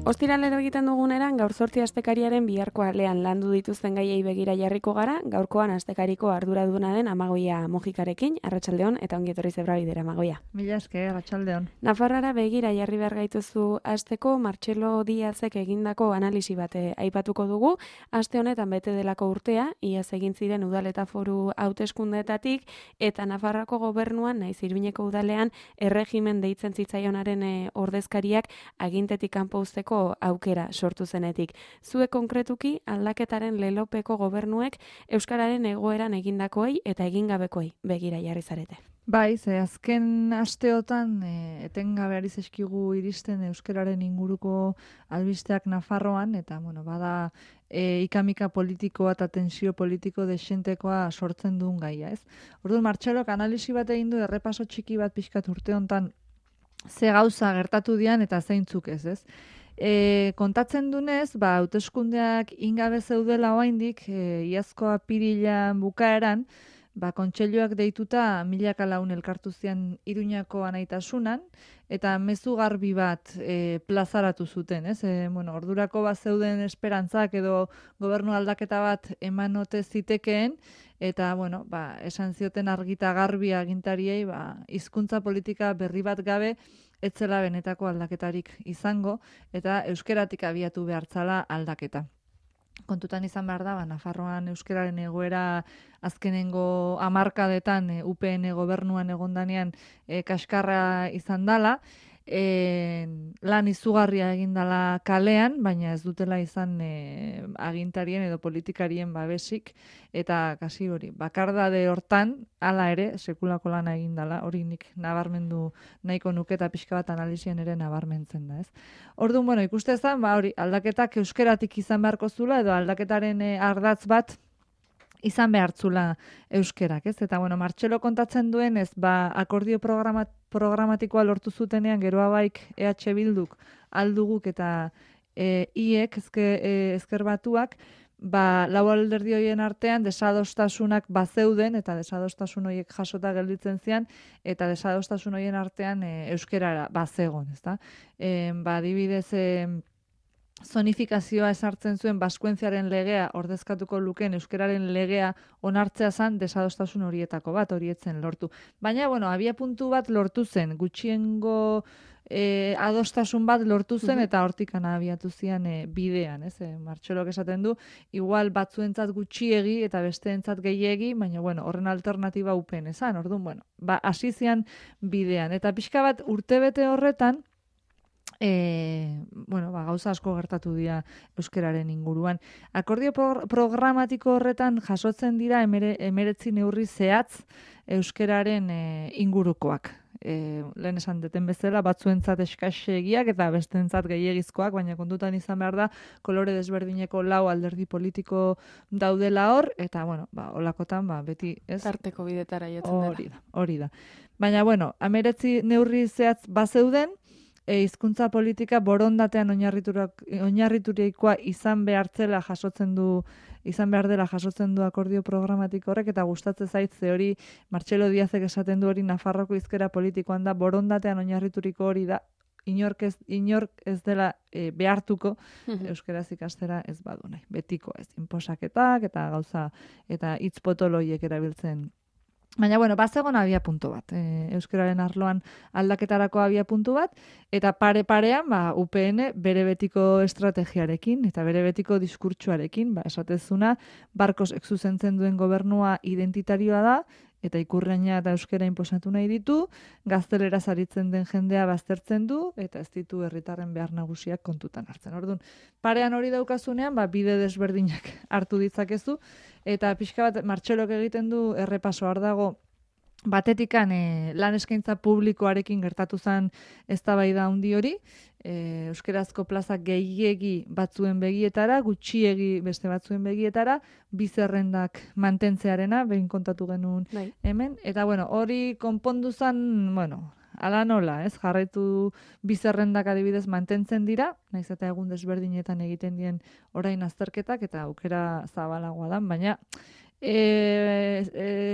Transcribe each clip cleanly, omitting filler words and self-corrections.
Ostiralero egiten duguneran gaur 8 astekariaren biharko alean landu dituzten gaiei begira jarriko gara, gaurkoan astekariko arduraduna den Amagoia Mojikarekin, arratsaldeon eta ongi etorri Zebrabidera Amagoia. Mila esker, arratsaldeon. Nafarroara begira jarri behar gaituzu asteko Martxelo Diazek egindako analisi bat aipatuko dugu. Aste honetan bete delako urtea, iaz egin ziren udal eta foru hauteskundeetatik eta Nafarroako gobernuan naiz Iruñeko udalean erregimen deitzen zitzaionaren ordezkariak agintetik kanpo uzteko aukera sortu zenetik. Zuek konkretuki aldaketaren lelopeko gobernuek euskararen egoeran egindakoei eta egingabekoei begira jarri zarete. Bai, ze azken asteotan etengabe ari zaizkigu iristen euskararen inguruko albisteak Nafarroan eta bada ikamika politikoa eta tensio politiko desentekoa sortzen duen gaia, ez? Orduan Martxelok analisi bat egin du errepaso txiki bat pixkat urte hontan ze gauza gertatu dian eta zeintzuk ez? Kontatzen dunez, hauteskundeak ingabe zeudela oraindik, iazko apirilean bukaeran, kontseiluak deituta milaka lagun elkartu zian Iruñako anaitasunan, eta mezu garbi bat plazaratu zuten, ez? Ordurako zeuden esperantzak edo gobernu aldaketa bat eman ote zitekeen, eta esan zioten argita garbi agintariei hizkuntza politika berri bat gabe etzela benetako aldaketarik izango, eta euskeratik abiatu behartzala aldaketa. Kontutan izan behar da, Nafarroan euskararen egoera azkenengo hamarkadetan UPN gobernuan egondanean kaskarra izan dala, lan izugarria egin dala kalean, baina ez dutela izan agintarien edo politikarien babesik, eta kasi hori, bakardade hortan, hala ere, sekulako lana egin dala, hori nik nabarmendu nahiko nuke eta pixka bat analizien ere nabarmentzen da, ez? Orduan, ikuste zen, hori, aldaketak euskeratik izan beharko zula, edo aldaketaren ardatz bat izan behartzula euskerak, ez? Eta, Martxelo kontatzen duen, ez, akordio programatikoa lortu zutenean, geroa baik EH Bilduk, alduguk eta IEK, ezker batuak, lau alderdi horien artean desadostasunak bazeuden, eta desadostasun horiek jasota gelditzen zian, eta desadostasun horien artean euskerara bazegon, ez da? Adibidez, zonifikazioa esartzen zuen baskuentziaren legea ordezkatuko lukeen euskararen legea onartzea zen desadostasun horietako bat, horietzen lortu. Baina, abia puntu bat lortu zen, gutxiengo adostasun bat lortu zen eta hortikan abiatu zian bidean, ez? Martxelok esaten du, igual batzuentzat gutxiegi eta besteentzat gehiegi, baina horren alternatiba UPN esan, orduan, hasi zian bidean. Eta pixka bat urtebete horretan, gauza asko gertatu dira euskararen inguruan. Akordio programatiko horretan jasotzen dira 19 neurri zehatz euskararen ingurukoak. Lehen esan deten bezala, batzuentzat eskasegiak eta besteentzat gehiegizkoak, baina kontutan izan behar da, kolore desberdineko 4 alderdi politiko daudela hor, eta, holakotan, beti, ez? Tarteko bidetara jotzen dela. Hori da. Baina, 19 neurri zehatz bazeuden, hizkuntza politika borondatean oinarriturikoa izan behar dela jasotzen du akordio programatiko horrek, eta gustatzen zait ze hori Martxelo Diazek esaten du hori Nafarroko hizkera politikoan da, borondatean oinarrituriko hori da, inork ez dela behartuko euskaraz ikastera ez badu nahi. Betiko ez, inposaketak eta gauza eta hitz potoloiek erabiltzen. Baina, bazegon abia puntu bat, euskararen arloan aldaketarako abia puntu bat, eta pare-parean, UPN bere betiko estrategiarekin, eta bere betiko diskurtsuarekin, esatezuna, barkos zuzentzen duen gobernua identitarioa da, eta ikurraina eta euskara inposatu nahi ditu, gaztelera zaritzen den jendea baztertzen du, eta ez ditu herritarren behar nagusiak kontutan hartzen. Orduan, parean hori daukazunean, bide desberdinak hartu ditzakezu, eta pixka bat Martxelok egiten du errepaso hor dago, batetikan lan eskaintza publikoarekin gertatu zen eztabaida handi hori, euskerazko plazak gehiegi batzuen begietara, gutxiegi beste batzuen begietara, bizerrendak mantentzearena, behin kontatu genuen hemen, eta hori konpondu zen, ala nola, ez? Jarraitu bizerrendak adibidez mantentzen dira, naiz eta egun desberdinetan egiten dien orain azterketak, eta aukera zabalagoa da, baina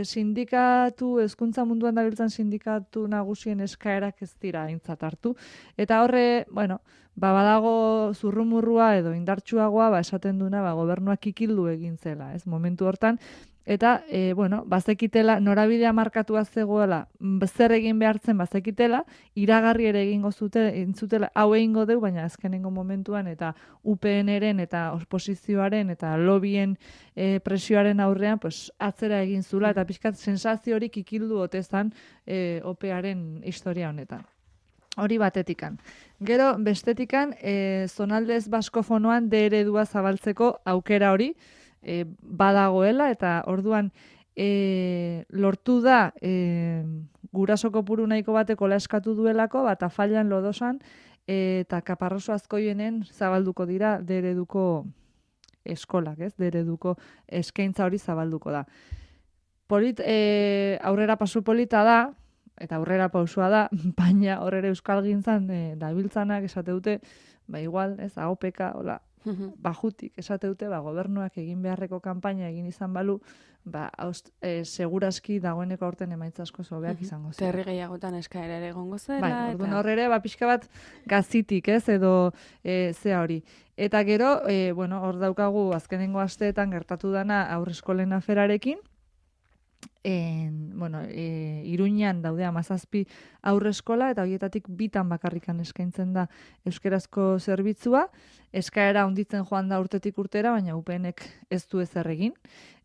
sindikatu, hezkuntza munduan dabiltzan sindikatu nagusien eskaerak ez dira aintzat hartu. Eta horre, bueno, badago zurrumurrua edo indartsuagoa, esaten duna, gobernuak kikildu egin zela, ez, momentu hortan. Eta, bazekitela, norabidea markatua zegoela, zer egin behartzen bazekitela, iragarri ere egingo zutela, hau egingo deu, baina azkenengo momentuan, eta UPN-eren eta oposizioaren eta lobien presioaren aurrean, pues, atzera egin zula, eta pixkat sensazio hori kikildu otezan OPEaren historia honetan. Hori batetikan. Gero, bestetikan, zonaldez baskofonoan D eredua zabaltzeko aukera hori, badagoela, eta orduan lortu da guraso kopuru nahiko batekola eskatu duelako, eta fallan lodosan, eta Kaparroso Azkoienen zabalduko dira D ereduko eskolak, ez? D ereduko eskaintza hori zabalduko da. Aurrera pasu polita da, eta aurrera pausua da, baina horrere euskalgintzan dabiltzanak esate dute, igual, ez, AOPK, hola, bajutik esate dute, gobernuak egin beharreko kanpaina egin izan balu, seguraski dagoeneko aurten emaitza asko hobeak izango zen. Terri gehiagotan eskaera ere egongo zela. Orduan horrere, pixka bat gazitik, ez, edo zea hori. Eta gero, hor daukagu azkenengo asteetan gertatu dana aurreskolen aferarekin, Iruñan daude 17 aurreskola, eta horietatik 2 bakarrikan eskaintzen da euskerazko zerbitzua. Eskaera handitzen joan da urtetik urtera, baina UPNek ez du ezer egin.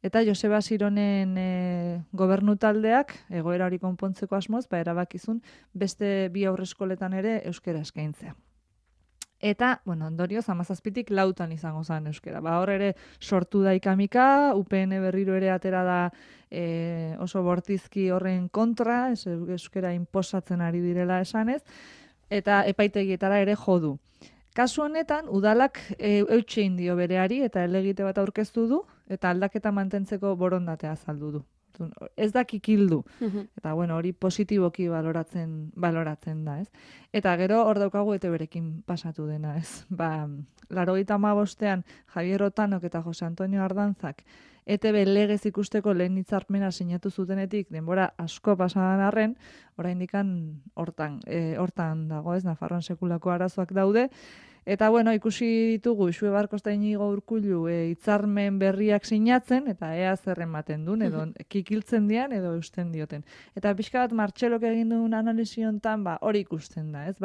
Eta Joseba Sironen gobernu taldeak, egoera hori konpontzeko asmoz, erabakizun beste 2 aurreskoletan ere euskera eskaintzea. Eta, ondorioz, 17tik 4 izango zen euskera. Hor ere sortu da ikamika, UPN berriro ere atera da oso bortizki horren kontra, euskera inposatzen ari direla esanez, eta epaitegietara ere jodu. Kasu honetan, udalak eutxein dio bereari eta helegite bat aurkeztu du, eta aldaketa mantentzeko borondatea azaldu du. Ez da kikildu. Eta, hori positiboki baloratzen da, ez? Eta gero hor daukagu ETBrekin pasatu dena, ez? 85ean Javier Otanok eta Jose Antonio Ardanzak ETB legez ikusteko lehen hitzarmena sinatu zutenetik denbora asko pasadan arren, oraindikan hortan dago, ez? Nafarroan sekulako arazoak daude. Eta, ikusi ditugu Xue Barkos eta Inigo Urkullu hitzarmen berriak sinatzen, eta ea zer ematen duen, edo kikiltzen dian, edo eusten dioten. Eta pixka bat Martxelok egin duen analisi hontan, hori ikusten da, ez?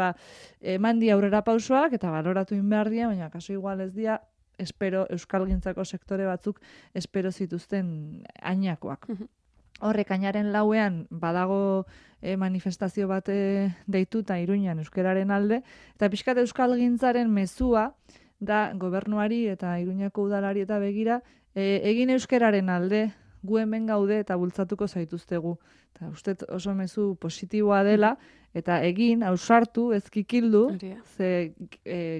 Eman di aurrera pausoak, eta baloratu behar dia, baina kaso igual ez dia, euskalgintzako sektore batzuk espero zituzten ainakoak. Horrek añaren 4ean badago manifestazio bat deituta Iruñan euskararen alde, eta pixkat euskalgintzaren mezua da gobernuari eta Iruñako udalari eta begira egin euskararen alde, gu hemen gaude eta bultzatuko zaituztegu. Eta uste oso mezu positiboa dela, eta egin, ausartu, ezkikildu, ze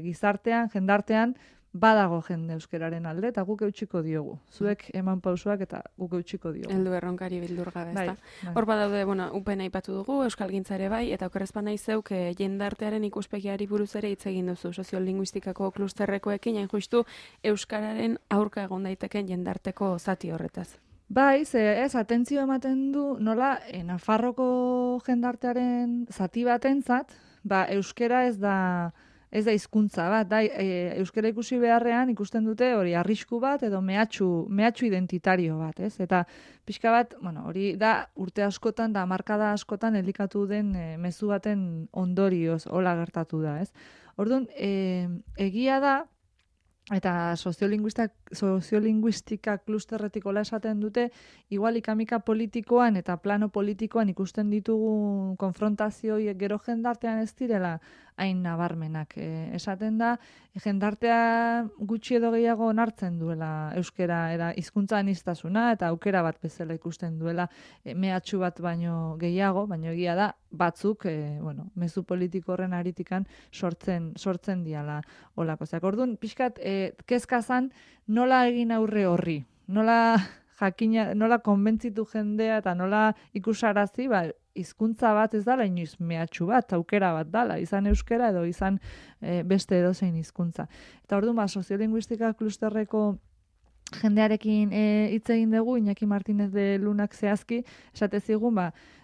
gizartean, jendartean, badago jende euskararen alde, eta guk eutxiko diogu. Zuek eman pausoak eta guk eutxiko diogu. Heldu erronkari bildur gabe, ezta? Hor badaude, UPN aipatu dugu, euskalgintza ere bai, eta okerrezpan nahi zeuk jendartearen ikuspegiari buruz ere hitz egin duzu, soziolinguistikako klusterrekoekin, hain justu euskararen aurka egon daiteken jendarteko zati horretaz. Bai, ez, atentzio ematen du, nola, Nafarroko jendartearen zati batentzat, euskara ez da hizkuntza bat, euskara ikusi beharrean ikusten dute hori arrisku bat edo mehatxu identitario bat, ez? Eta pixka bat, hori da urte askotan da hamarkada askotan elikatu den mezu baten ondorioz hola gertatu da, ez? Orduan, egia da, eta soziolinguistika klusterretik hola esaten dute, igual ikamika politikoan eta plano politikoan ikusten ditugu konfrontazioiek gero jendartean ez direla hain nabarmenak. Esaten da, jendartea gutxi edo gehiago onartzen duela euskera era hizkuntza aniztasuna eta aukera bat bezala ikusten duela mehatxu bat baino gehiago, baino egia da batzuk, mezu politiko horren aritikan sortzen diala olakoak. Orduan, pixkat, kezkazan nola egin aurre horri, nola konbentzitu jendea eta nola ikusarazi, hizkuntza bat ez dala inoiz mehatxu bat, aukera bat dala, izan euskera edo izan beste edozein hizkuntza. Eta orduan, soziolinguistika klusterreko jendearekin hitz egin dugu, Iñaki Martínez de Lunak zehazki, esate zigun,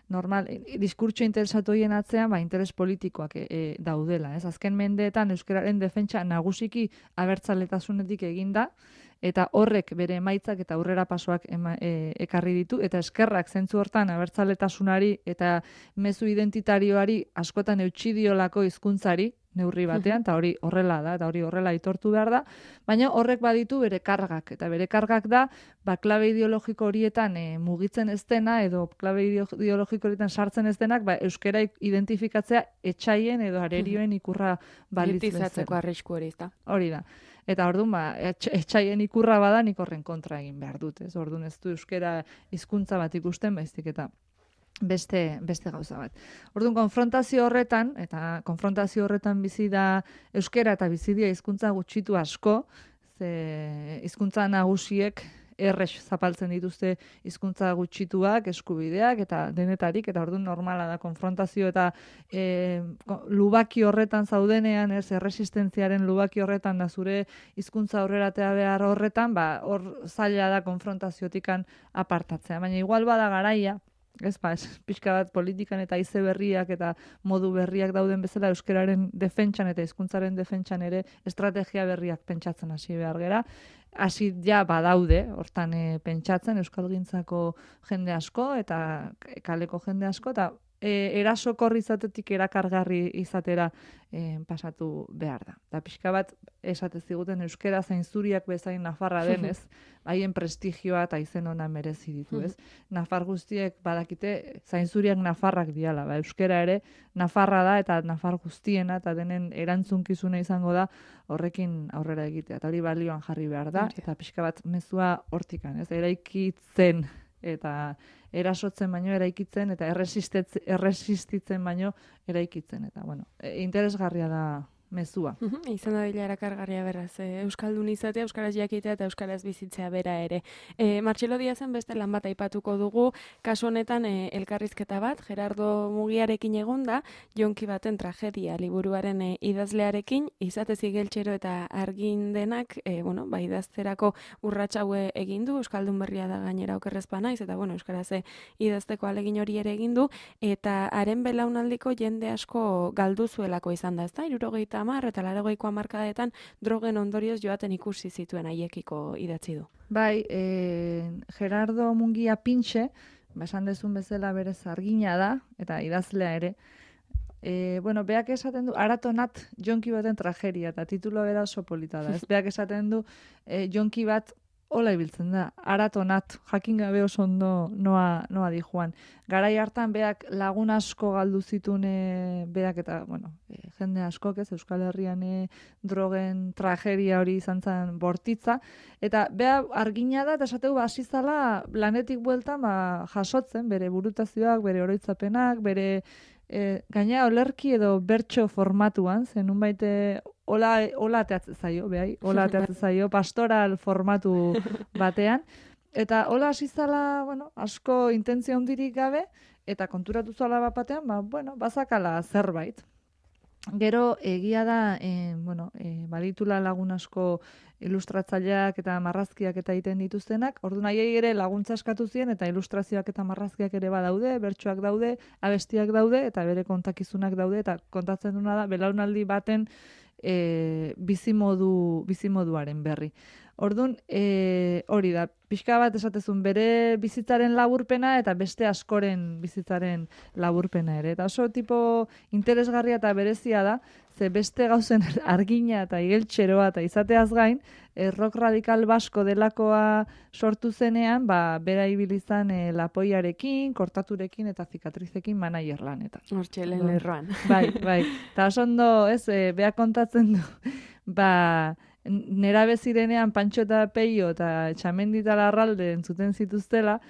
normal, diskurtso interesatu horien atzean, interes politikoak daudela. Ez? Azken mendeetan euskararen defentsa nagusiki abertzaletasunetik eginda, eta horrek bere emaitzak eta aurrera pasoak ekarri ditu, eta eskerrak zentzu hortan abertzaletasunari eta mezu identitarioari askotan eutxidiolako hizkuntzari, neurri batean, eta hori horrela da, eta hori horrela aitortu behar da, baina horrek baditu bere kargak, eta bere kargak da, klabe ideologiko horietan mugitzen ez dena, edo klabe ideologiko horietan sartzen ez denak, euskara identifikatzea etxaien edo arerioen ikurra balitz bezala. Politizatzeko arrisku hori, ezta? Hori da. Eta orduan, etxaien ikurra bada, nik horren kontra egin behar dut, ez? Orduan ez du euskara hizkuntza bat ikusten, baizik eta beste gauza bat. Orduan, konfrontazio horretan bizi da euskara eta bizi dira hizkuntza gutxitu asko, ze hizkuntza nagusiek errex zapaltzen dituzte hizkuntza gutxituak, eskubideak eta denetarik, eta orduan normala da konfrontazio eta lubaki horretan zaudenean, erresistentziaren lubaki horretan da zure hizkuntza aurreratea behar horretan, hor zaila da konfrontaziotikan apartatzea. Baina igual bada garaia, pixka bat politikan eta haize berriak eta modu berriak dauden bezala euskararen defentsan eta hizkuntzaren defentsan ere estrategia berriak pentsatzen hasi behar gera. Hasi ja badaude, hortan pentsatzen euskalgintzako jende asko eta kaleko jende asko, eta erasokorri izatetik erakargarri izatera pasatu behar da. Eta pixka bat esate ziguten euskara zainzuriak bezain nafarra denez, haien prestigioa eta izen ona merezi ditu, ez? Nafar guztiek badakite zainzuriak nafarrak diala, euskara ere nafarra da eta nafar guztiena eta denen erantzunkizuna izango da horrekin aurrera egitea. Eta hori balioan jarri behar da, eta pixka bat mezua hortikan, ez? Eraikitzen eta erasotzen baino eraikitzen, eta erresistitzen baino eraikitzen. Eta, interesgarria da mezua. Izan da bila erakargarria beraz. Euskaldun izatea, euskaraz jakitea eta euskaraz bizitzea bera ere. Martxelo Diazen beste lan bat aipatuko dugu, kasu honetan elkarrizketa bat, Gerardo Mugiarekin egonda, Jonki baten tragedia liburuaren idazlearekin, izatez igeltxero eta argindenak, idazterako urratsaue egin du, Euskaldun berria da gainera okerrezpa naiz, eta euskaraz idazteko alegin hori ere egin du, eta haren belaunaldiko jende asko galdu zuelako izan da, ezta? 70 eta 80ko hamarkadetan drogen ondorioz joaten ikusi zituen haiekiko idatzi du. Gerardo Mungia Pintxe, esan dezun bezala berez argina da, eta idazlea ere, beak esaten du, aratonat jonki baten tragedia, eta titulo bera oso polita da. Beak esaten du, jonki bat hola ibiltzen da, aratonat, jakin gabe oso ondo noa di joan. Garai hartan beak lagun asko galdu zituen beak eta, jende askok ez, Euskal Herrian drogen tragedia hori izan zen bortitza, eta bea argina da, eta esateu hasi zala lanetik bueltan jasotzen, bere burutazioak, bere oroitzapenak, bere gaina olerki edo bertso formatuan, zenun baite hola ateatzen zaio, pastoral formatu batean, eta hola hasi zala, asko intentzio handirik gabe, eta konturatu zala bat batean, bazakala zerbait. Gero egia da, baditula lagun asko ilustratzaileak eta marrazkiak eta egiten dituztenak, orduan haiei ere laguntza eskatu zien, eta ilustrazioak eta marrazkiak ere badaude, bertsoak daude, abestiak daude, eta bere kontakizunak daude, eta kontatzen duna da, belaunaldi baten bizimoduaren berri. Orduan, hori da, pixka bat esatezun bere bizitzaren laburpena eta beste askoren bizitzaren laburpena ere. Eta oso tipo interesgarria eta berezia da, ze beste gauzen argina eta igeltxeroa eta izateaz gain, rock radikal basko delakoa sortu zenean, bera ibilizan lapoiarekin, kortaturekin eta zikatrizekin manager lanetan. Hortxelen lerroan. Bai. Eta oso ondo, beha kontatzen du, nera bezirenean Pantxo eta Peio eta Txamendi eta Larralde entzuten zituztela,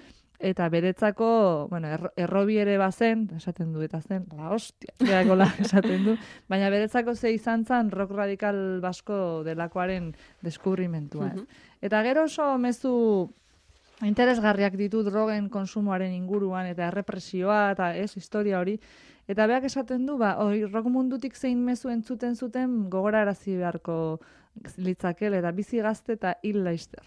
eta beretzako, errobi ere bazen, esaten du, eta zen, la hostia, esaten du, baina beretzako ze izan zen rock radikal basko delakoaren deskubrimentua. Eta gero oso mezu interesgarriak ditu drogen konsumoaren inguruan, eta errepresioa, eta historia hori, eta beak esaten du, rock mundutik zein mezu entzuten zuten gogorarazi beharko litzakel, eta bizi gazte eta hil laizter.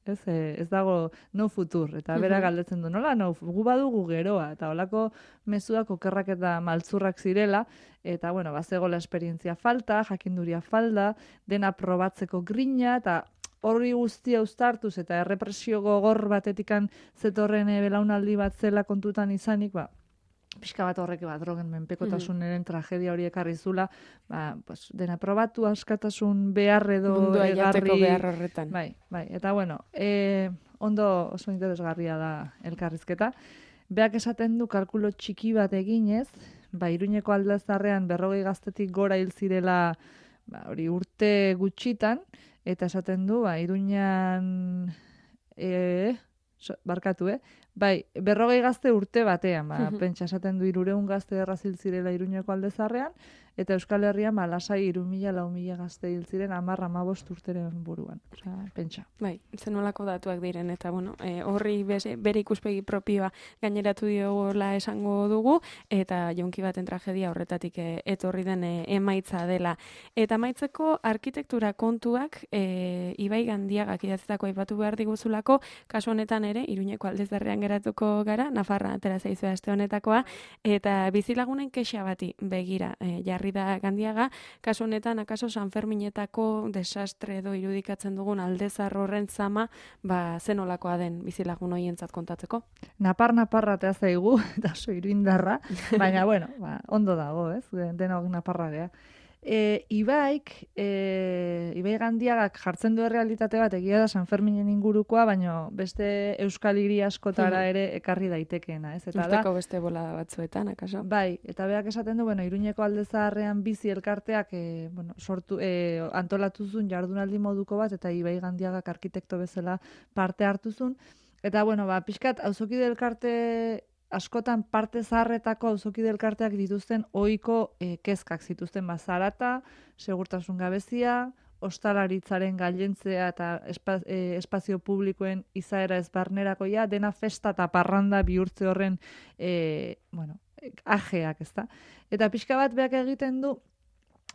ez dago no futur, eta bera galdetzen du, nola no, gu badugu geroa, eta holako mezuak okerrak eta maltzurrak zirela, eta bueno, bazegola esperientzia falta, jakinduria falta, dena probatzeko grina, eta hori guztia uztartuz, eta errepresio gogor batetikan zetorren belaunaldi bat zela kontutan izanik, pixka bat horrek drogen menpekotasunaren tragedia hori ekarri zula, pues, dena probatu, askatasun behar edo mundua jateko behar horretan. Bai, eta bueno, ondo oso interesgarria da elkarrizketa. Beak esaten du kalkulo txiki bat eginez, Iruñeko Aldezarrean 40 gaztetik gora hil zirela hori urte gutxitan, eta esaten du, Iruñan barkatu, 40 gazte urte batean, pentsa esaten du 300 gazte errazil zirela Iruñeko Aldezarrean, eta Euskal Herrian lasai 3.000-4.000 gazte hil ziren 10-15 urteren buruan. Osea, pentsa. Bai, zenolako datuak diren, eta bueno, horri bere ikuspegi propioa gaineratu diola esango dugu, eta jonki baten tragedia horretatik etorri den emaitza dela. Eta amaitzeko arkitektura kontuak Ibai Gandiagak idatzetako aipatu behar diguzulako, kasu honetan ere, Iruñeko Aldezarrean geratuko gara, Nafarra atera zaizue aste honetakoa, eta bizilagunen kexa bati begira jarri da Gandiaga, kasu honetan akaso San Ferminetako desastre edo irudikatzen dugun Aldezar horren zama, zenolakoa den bizilagun hoientzat kontatzeko. Naparra tea zaigu, eta oso iruindarra, baina bueno, ondo dago, ez? Denok naparra gea. Ibai Gandiagak jartzen du errealitate bat, egia da San Ferminen ingurukoa, baina beste euskal hiri askotara ere ekarri daitekeena, ez? Eta usteko beste bolada batzuetan, akaso? Bai, eta beak esaten du, Iruñeko Aldezaharrean bizi elkarteak sortu, antolatuzun jardunaldi moduko bat, eta Ibai Gandiagak arkitekto bezala parte hartuzun. Eta, pixkat, auzokide elkarte askotan parte zaharretako auzokide elkarteak dituzten ohiko kezkak zituzten, zarata, segurtasun gabezia, ostalaritzaren gailentzea eta espazio publikoen izaera ezbarnerakoia, dena festa eta parranda bihurtze horren ajeak, ezta? Eta pixka bat beak egiten du,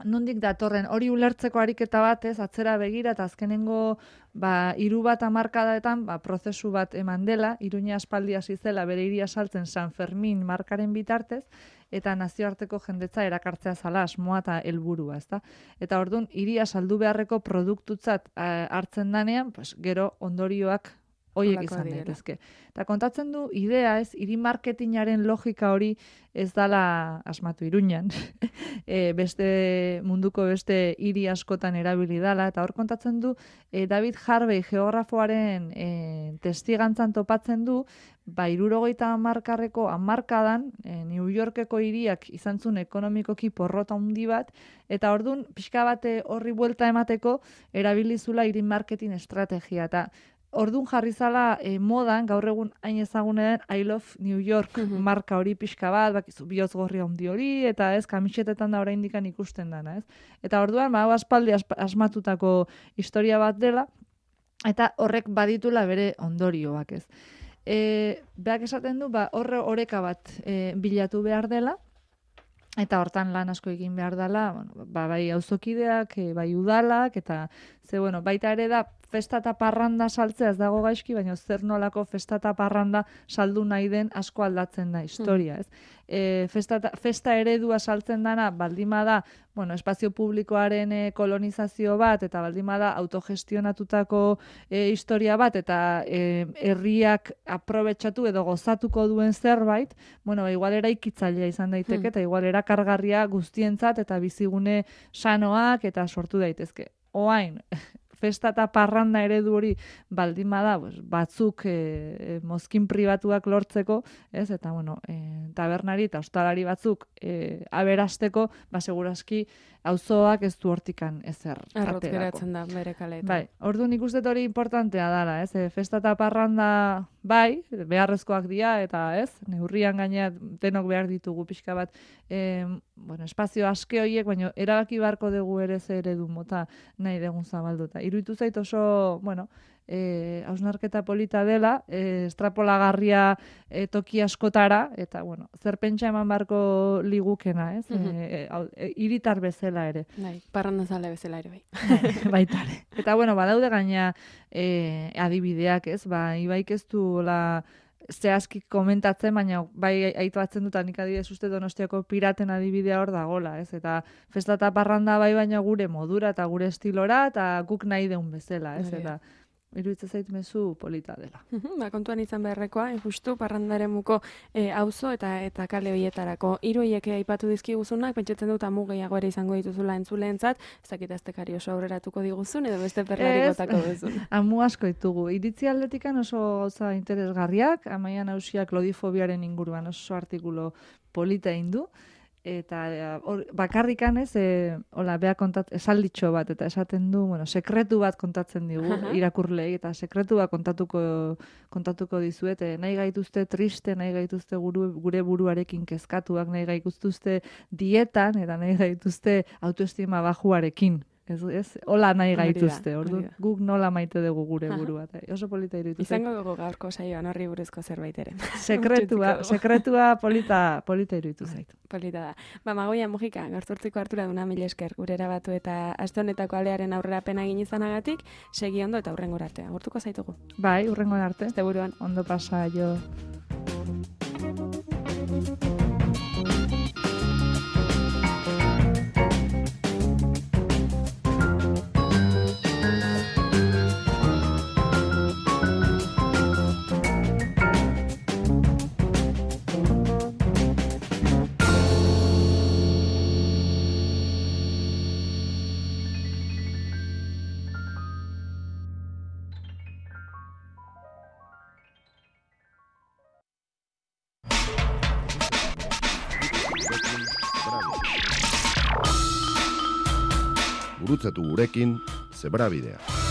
nondik datorren hori ulertzeko ariketa bat, atzera begira, eta azkenengo 3 hamarkadaetan prozesu bat eman dela, Iruña aspaldi hasi zela bere hiria saltzen San Fermin markaren bitartez, eta nazioarteko jendetza erakartzea zala asmoa eta helburua, ezta? Eta orduan hiria saldu beharreko produktutzat hartzen danean, gero ondorioak hoiek izan daitezke. Eta kontatzen du idea, hiri marketingaren logika hori ez dala asmatu Iruñan. Munduko beste hiri askotan erabili dala, eta hor kontatzen du David Harvey geografoaren testigantzan topatzen du, 70 hamarkarreko hamarkadan New Yorkeko hiriak izan zuen ekonomikoki porrota handi bat, eta ordun pixka bat horri buelta emateko erabilizula hiri marketing estrategia, eta ordun jarri zala modan, gaur egun hain ezagune den I Love New York marka hori pixka bat, bakizu bihotz gorri handi hori, eta kamisetetan da oraindik ikusten dana, ez? Eta orduan, aspaldi asmatutako historia bat dela, eta horrek baditula bere ondorioak, ez? Beak esaten du, oreka bat bilatu behar dela, eta hortan lan asko egin behar dela, bai auzokideak, bai udalak, eta baita ere da, festa eta parranda saltzea ez dago gaizki, baina zer nolako festa eta parranda saldu nahi den asko aldatzen da historia, ez? Festa eredua saltzen dana, baldima da, espazio publikoaren kolonizazio bat, eta baldima da autogestionatutako historia bat, eta herriak aprobetxatu edo gozatuko duen zerbait, igual eraikitzailea izan daiteke, eta igual erakargarria guztientzat, eta bizigune sanoak, eta sortu daitezke. Oain, festa eta parranda eredu hori baldima da, batzuk mozkin pribatuak lortzeko, ez? Eta, tabernari eta ostalari batzuk aberasteko, segurazki auzoak ez du hortikan ezer aterako. Arrotz geratzen da, bere kaleetan. Bai, orduan nik uste hori importantea dala, ez? Festa eta parranda, beharrezkoak dira, eta neurrian gainea denok behar ditugu pixka bat, espazio aske horiek, baina erabaki beharko dugu ere ze eredu mota nahi dugun zabalduta. Iruditu zait oso, hausnarketa polita dela, estrapolagarria toki askotara, eta, bueno, zer pentsa eman barko ligukena, ez? Hiritar bezala ere. Bai, parrandazale bezala ere, bai. Baitare. Eta, bueno, badaude gaina adibideak, ez? Ba, Ibaik ez duela zehazki komentatzen, baina bai aipatzen dut, nik adibidez uste Donostiako piraten adibidea hor dagola, ez? Eta festa eta parranda bai, baina gure modura eta gure estilora, eta guk nahi deun bezala, ez? Eta iruditzen zait mezu polita dela. Ba, kontuan izan beharrekoa, justu parrandaremuko auzo eta kale horietarako. Hiru horiek aipatu dizkiguzunak, pentsatzen dut amu gehiago ere izango dituzula entzuleentzat, ez dakit aztekari oso aurreratuko diguzun, edo beste perlari botako duzun. Amu asko ditugu. Iritzi aldetikan oso gauza interesgarriak, Amaia Nausiak lodifobiaren inguruan oso artikulu polita indu, eta bakarrikan ez, hola, bea esalditxo bat, eta esaten du, bueno, sekretu bat kontatzen digu irakurlei, eta sekretu bat kontatuko dizuet, nahi gaituzte triste, nahi gaituzte gure buruarekin kezkatuak, nahi gaituzte dietan, eta nahi gaituzte autoestima bajuarekin. Ez, hola nahi gaituzte, guk nola maite dugu gure burua. Oso polita iruditu. Izango dugu gaurko saioan horri buruzko zerbait ere. Sekretua polita iruditu zaitu. Polita da. Ba, Magoia Mujika, gaurtzortziko hartura duna mil esker, gure erabatu eta aste honetako alearen aurrerapena egin izanagatik, segi ondo eta hurrengora arte. Agurtuko zaitugu. Bai, hurrengora arte. Este buruan. Ondo pasa, jo. Gurutzatu gurekin Zebrabidea.